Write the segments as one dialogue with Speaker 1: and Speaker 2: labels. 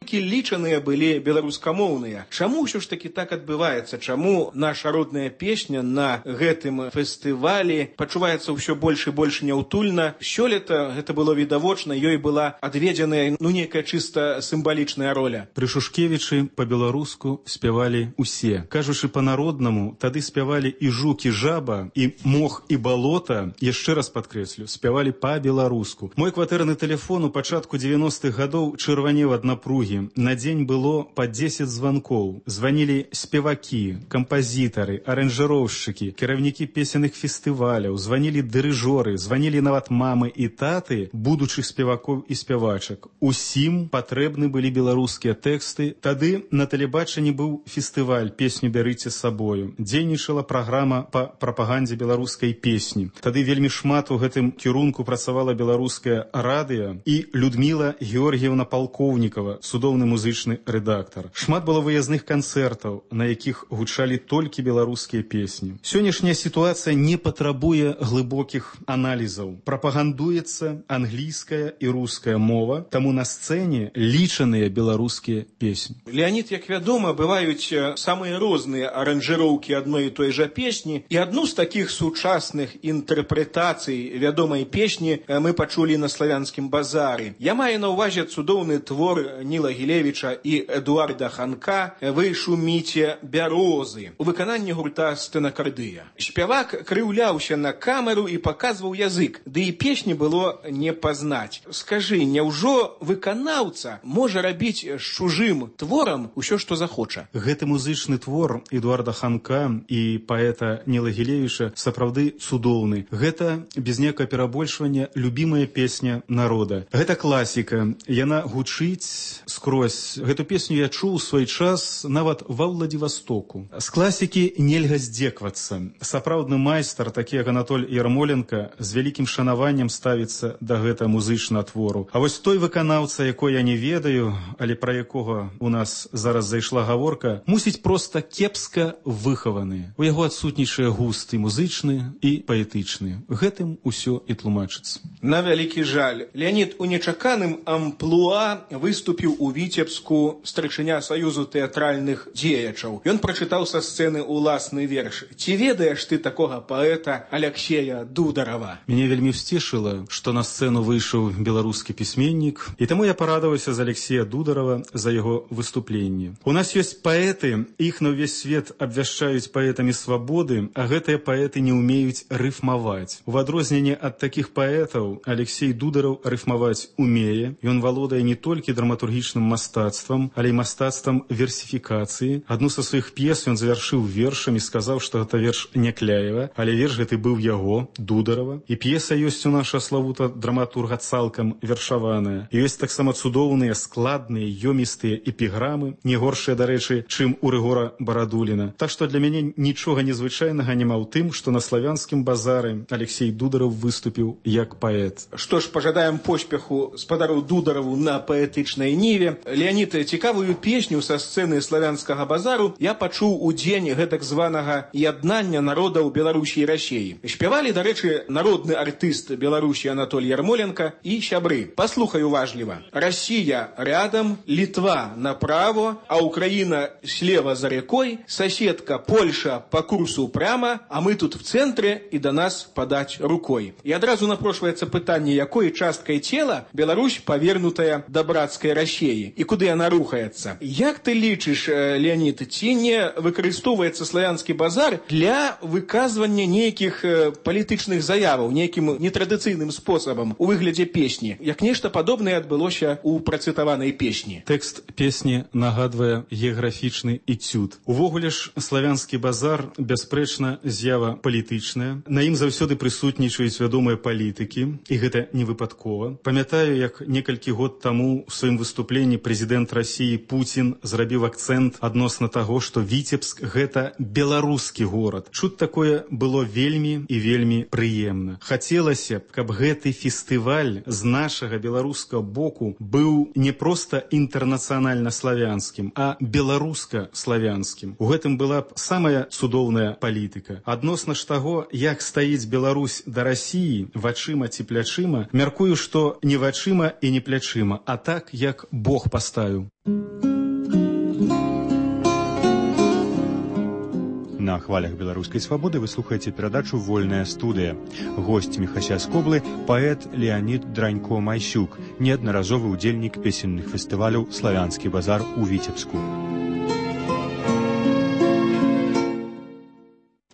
Speaker 1: толькі лічаныя былі беларускамоўныя. Чаму ўсё ж таки так адбываецца? Чаму наша родная песня на гэтым фестывалі пачуваецца ўсё больш і больш няўтульна? Сёлета гэта было відавочна, ёй была адведзеная нейкая чыста сімвалічная роля.
Speaker 2: Пры Шушкевічы па-беларуску спявалі усе. Кажучы па-народнаму, тады спявалі і жук, і жаба, і мох, і балота, яшчэ раз падкрэслю, спявалі па-беларуску. Мой кватэрны тэлефон у пачатку 90-х гадоў чырванеў ад напругі. На дзень было па 10 званкоў. Званілі спевакі, кампазітары, аранжыроўшчыкі, кіраўнікі песенных фестываляў, званілі дырыжоры, званілі нават мамы і таты будучых спевакоў і спявачак. Усім патрэбны былі беларускія тэксты. Тады на тэлебачанні быў фестываль «Песню бярыце з сабою». Дзейнічала праграма па прапагандзе беларускай песні. Тады вельмі шмат у гэтым кірунку працавала беларускае радыё і Людміла Георгіевна Палкоўнікава, цудоўны музычны рэдактар. Шмат было выязных канцэртаў, на якіх гучалі толькі беларускія песні. Сённяшняя сітуацыя не патрабуе глыбокіх аналізаў. Прапагандуецца англійская і руская мова, таму на сцэне лічаныя беларускія песні.
Speaker 1: Леонид, як вядома, бываюць самыя розныя аранжыроўкі адной і той жа песні, і адну з такіх сучасных інтэрпрэтацый вядомай песні мы пачулі на славянскім базары. Я маю на ўвазе цудоўны твор Ніла Гілевіча і Эдуарда Ханка «Вы шуміце бярозы» у выкананні гурта «Стэнакардыя». Спявак крыўляўся на камеру і паказваў язык, ды і песні было не пазнаць. Скажы, няўжо выканаўца можа рабіць з чужым творам усё, што захоча?
Speaker 2: Гэты музычны твор Эдуарда Ханка і паэта Ніла Гілевіча сапраўды цудоўны. Гэта, без некага перабольшвання, любімая песня народа. Гэта класіка. Яна гучыць скрозь. Гэту песню я чуў у свой час нават ва Владивостоку. З класікі нельга здзеквацца. Сапраўдны майстар, такі як Анатоль Ярмоленко, з вялікім шанаваннем ставіцца да гэтага музычнага твору. А вось той выканаўца, якой я не ведаю, але пра якога у нас зараз зайшла гаворка, мусіць проста кепска выхаваны. У яго адсутнічае густ і музычны, і паэтычны. Гэтым усё і тлумачыцца.
Speaker 1: На вялікі жаль. Леонид у нечаканым амплуа выступіў у Віцебску старшыня Саюзу тэатральных дзеячаў. Ён прачытаў са сцэны уласны верш. Ці ведаеш ты такога паэта Аляксея Дударава?
Speaker 2: Мяне вельмі ўсцешыла, што на сцэну выйшаў беларускі пісьменнік, і таму я парадаваўся за Аляксея Дударава за яго выступленне. У нас ёсць паэты, іх на ўвесь свет абвяшчаюць паэтамі свабоды, а гэтыя паэты не ўмеюць рыфмаваць. У адрозненне ад такіх паэтаў Аляксей Дудараў рыфмаваць умее. Ён валодае не толькі драматургічным мастацтвам, але і мастацтвам версіфікацыі. Адну са сваіх п'ес ён завяршыў вершам і сказаў, што гэта верш Някляева, але верш гэты быў яго, Дударава. І п'еса ёсць у наша славута драматурга цалкам вершаваная. І ёсць таксама цудоўныя, складныя, ёмістыя эпіграмы, не горшыя, дарэчы, чым у Рыгора Барадуліна. Так што для мяне нічога незвычайнага няма ў тым, што на славянскім базары Аляксей Дудараў выступіў як паэт.
Speaker 1: Што ж, пажадаем поспеху спадару Дудараву на паэтычнай ніве. Леонид, цікавую песню са сцэны славянскага базару я пачуў у дзень гэтак званага яднання народаў Беларусі і Расіі. Спявалі, дарэчы, народны артыст Беларусі Анатоль Ярмоленко і сябры. Паслухай уважліва. Россия рядом, Литва направо, а Украина слева за рекой, соседка Польша по курсу прямо, а мы тут в центре и до нас подать рукой. И одразу напрошваецца пытанне, якой часткай цела Беларусь павернутая да братскай Расіі і куды яна рухаецца. Як ты лічыш, Леонид, ці не выкарыстоўваецца славянскі базар для выказвання нейкіх палітычных заяваў, нейкім нетрадыцыйным спосабам у выглядзе песні, як нешта падобнае адбылося у працытаванай песні?
Speaker 2: Тэкст песні нагадвае геаграфічны эцюд. Увогуле ж славянскі базар бясспрэчна з'ява палітычная. На ім заўсёды прысутнічаюць вядомыя палітыкі, і гэта не выпадкова. Памятаю, як некалькі год таму у сваім выступленні прэзідэнт Расіі Пуцін зрабіў акцэнт адносна таго, што Віцебск – гэта беларускі горад. Чуць такое было вельмі і вельмі прыемна. Хацелася б, каб гэты фестываль з нашага беларускага боку быў не проста інтэрнацыянальна-славянскім, а беларуска-славянскім. У гэтым была б самая цудоўная палітыка. Адносна ж таго, як стаіць Беларусь да Расіі, вачыма ці плячыма, мяркую, што не вачыма і не плячыма, а так, як бок Бог паставіў.
Speaker 3: На хвалях беларускай свабоды вы слухаеце перадачу «Вольная студыя». Госць Міхася Скоблы – паэт Леанід Дранько-Майсюк, неаднаразовы ўдзельнік песенных фестываляў «Славянскі базар» у Віцебску.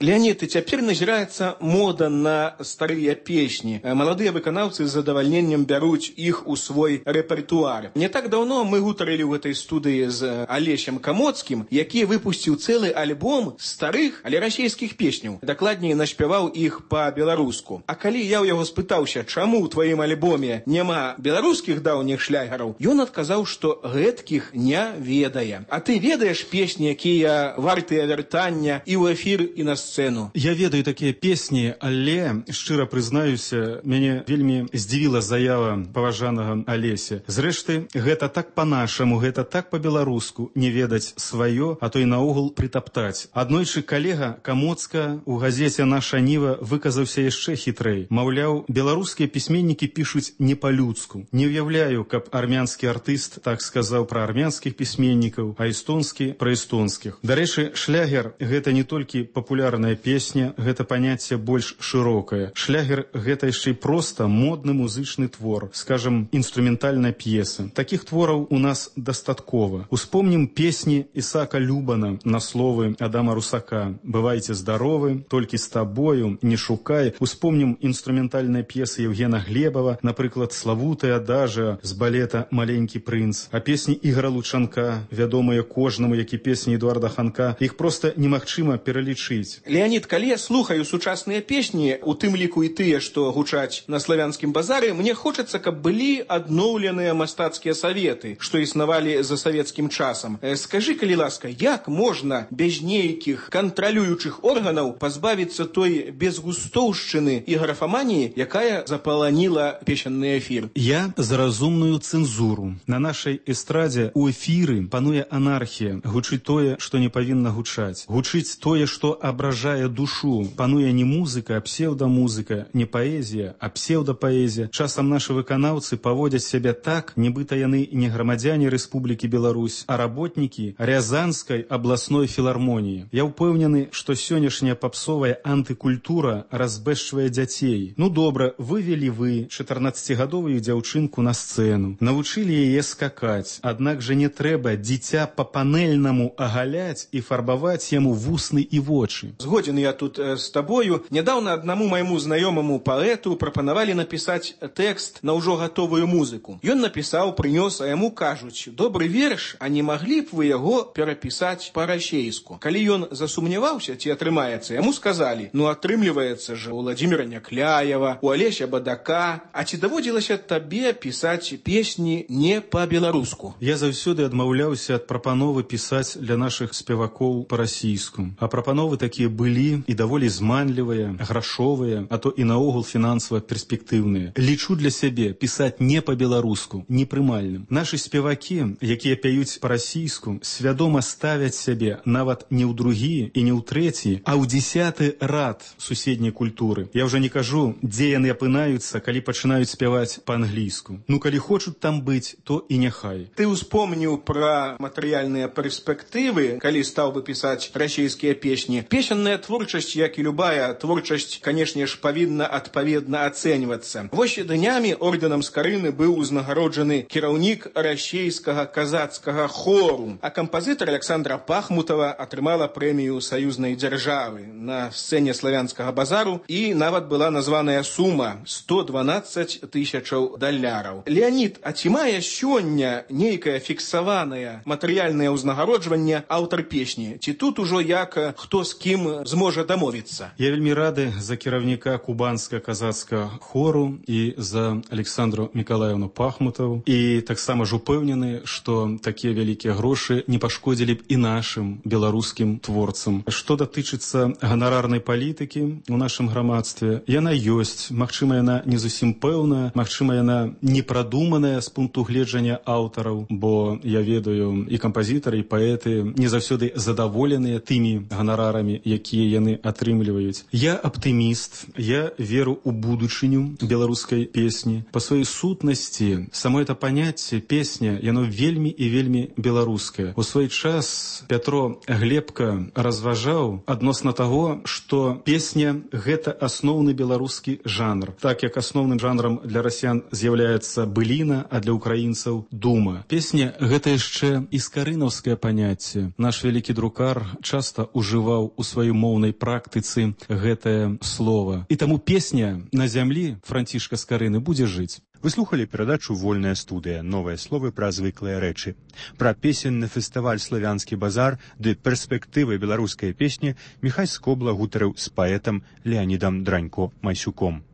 Speaker 1: Леонид, и теперь назирается мода на старые песни. Молодые выканаўцы з задавальненнем бяруць іх у свой рэпертуар. Не так давно мы гутарылі ў гэтай студыі з Алесем Камоцкім, які выпусціў цэлы альбом старых, але расійскіх песняў. Дакладней, наспяваў іх па-беларуску. А калі я ў яго спытаўся, чаму ў тваім альбоме няма беларускіх даўніх шлягераў, ён адказаў, што гэткіх не ведае. А ты ведаеш песні, якія вартыя вяртання і ў эфір, і на сцэну?
Speaker 2: Я ведаю такія песні, але, шчыра прызнаюся, мяне вельмі здзівіла заява паважанага Алеся. Зрэшты, гэта так па-нашаму, гэта так па-беларуску, не ведаць сваё, а то і наогул прытаптаць. Аднойчы калега Камоцка ў газеце «Наша Ніва» выказаўся яшчэ хітрэй. Маўляў, беларускія пісьменнікі пішуць не па-людску. Не ўяўляю, каб армянскі артыст так сказаў пра армянскіх пісьменнікаў, а эстонскі пра эстонскіх. Дарэчы, шлягер – гэта не толькі папулярная песня, гэта паняцце больш шырокае. Шлягер – гэта яшчэ і проста модны музычны твор, скажам, інструментальная п'еса. Такіх твораў у нас дастаткова. Успомнім песні Ісаака Любана на словы Адама Русака «Бывайце здаровы», «Толькі з табою», «Не шукай». Успомнім інструментальныя п'есы Евгена Глебова, напрыклад, «Славутая адажа» з балета «Маленькі прынц». А песні Ігора Лучанка, вядомыя кожнаму, як і песні Эдуарда Ханка, іх проста немагчыма пералічыць.
Speaker 1: Леонид, калі я слухаю сучасныя песні, у тым ліку і тыя, што гучаць на славянскім базары, мне хочацца, каб былі адноўленыя мастацкія саветы, што існавалі за савецкім часам. Скажы, калі ласка, як можна без нейкіх кантралюючых органаў пазбавіцца той безгустоўшчыны і графаманіі, якая запаланіла песенны эфір?
Speaker 2: Я за разумную цэнзуру. На нашай эстрадзе у эфіры пануе анархія. Гучыць тое, што не павінна гучаць. Гучыць тое, што абражае душу. Пануе не музыка, а псевдамузыка, не паэзія, а псевдапаэзія. Часам нашы выканаўцы паводзяць сябе так, нібыта яны не грамадзяне Рэспублікі Беларусь, а работнікі Рязанскай абласной філармоніі. Я ўпэўнены, што сённяшняя папсовая антыкультура разбэшчвае дзяцей. Ну добра, вывелі вы 14-гадовую дзяўчынку на сцэну, навучылі яе скакаць, аднак жа не трэба дзіця па-панельнаму агаляць і фарбаваць яму вусны і вочы.
Speaker 1: Згоден я тут с тобою. Недавно одному моему знакомому поэту прапанавалі написать текст на ўжо готовую музыку. Ён написал, принес, а ему кажуць: добрый верш, а не могли б вы яго перапісаць па-расейску? Калі ён засумняваўся, ці атрымаецца, яму сказали: ну атрымліваецца же у Владимира Някляева, у Алеся Бадака, а ці даводзілася табе пісаць песні не па-беларуску?
Speaker 2: Я заўсёды адмаўляўся ад прапановы пісаць для нашых спевакоў па-расійску. А прапановы такія былі і даволі зманлівыя, грашовыя, а то і наогул фінансава перспектыўныя. Лічу для сябе пісаць не па-беларуску непрымальным. Нашы спевакі, якія пяюць па-расійску, свядома ставяць сябе нават не ў другі і не ў трэці, а ў 10-ы рад суседняй культуры. Я ўжо не кажу, дзе яны апынаюцца, калі пачынаюць спяваць па-англійску. Ну, калі хочуць там быць, то і няхай.
Speaker 1: Ты успомніў пра матэрыяльныя перспектывы, калі стаў бы пісаць расійскія песні. Песенная творчасць, як і любая творчасць, канешне ж, павінна адпаведна ацэньвацца. Вось днямі ордэнам Скарыны быў узнагароджаны кіраўнік расейскага казацкага хору, а кампазітар Александра Пахмутова атрымала прэмію саюзнай дзяржавы на сцэне славянскага базару, і нават была названая сума $112 000. Леонид, а ці мае сёння нейкае фіксаванае матэрыяльнае ўзнагароджванне аўтар песні? Ці тут ужо як хто з кім зможа дамовіцца?
Speaker 2: Я вельмі рады за кіраўніка кубанска-казацкага хору і за Александру Миколаевну Пахмутову, і таксама ж упэўнены, што такія вялікія грошы не пашкодзілі б і нашым беларускім творцам. Што датычыцца ганарарнай палітыкі ў нашым грамадстве, яна ёсць. Магчыма, яна не зусім пэўная, магчыма, яна не прадуманая з пункту гледжання аўтараў, бо я ведаю, і кампазітары, і паэты не заўсёды задаволеныя тымі ганарарамі, якія якія яны атрымліваюць. Я аптыміст, я веру ў будучыню беларускай песні. Па сваёй сутнасці само это паняцце песня, яно вельмі і вельмі беларускае. У свой час Пятро Глебка разважаў адносна таго, што песня — гэта асноўны беларускі жанр. Так як асноўным жанрам для расіян з'яўляецца быліна, а для украінцаў — дума. Песня — гэта яшчэ іскарынаўскае паняцце. Наш вялікі друкар часта ўжываў у сваёй моўнай практыцы гэтае слова. І таму песня на зямлі Францішка Скарыны будзе жыць.
Speaker 3: Вы слухали перадачу «Вольная студыя». Новыя словы пра звыклыя рэчы. Пра песенны фестываль «Славянскі базар» ды перспектывы беларускай песні Міхась Скобла гутарыў з паэтам Леанідам Дранько-Майсюком.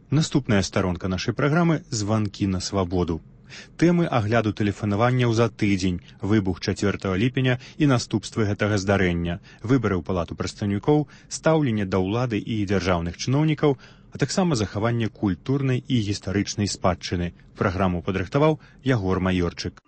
Speaker 3: Наступная старонка нашай праграмы «Званкі на свабоду». Тэмы агляду тэлефанаванняў за тыдзень, выбух 4 ліпеня і наступствы гэтага здарэння, выбары ў палату прадстаўнікоў, стаўленне да ўлады і дзяржаўных чыноўнікаў, а таксама захаванне культурнай і гістарычнай спадчыны. Праграму падрыхтаваў Ягор Маёрчык.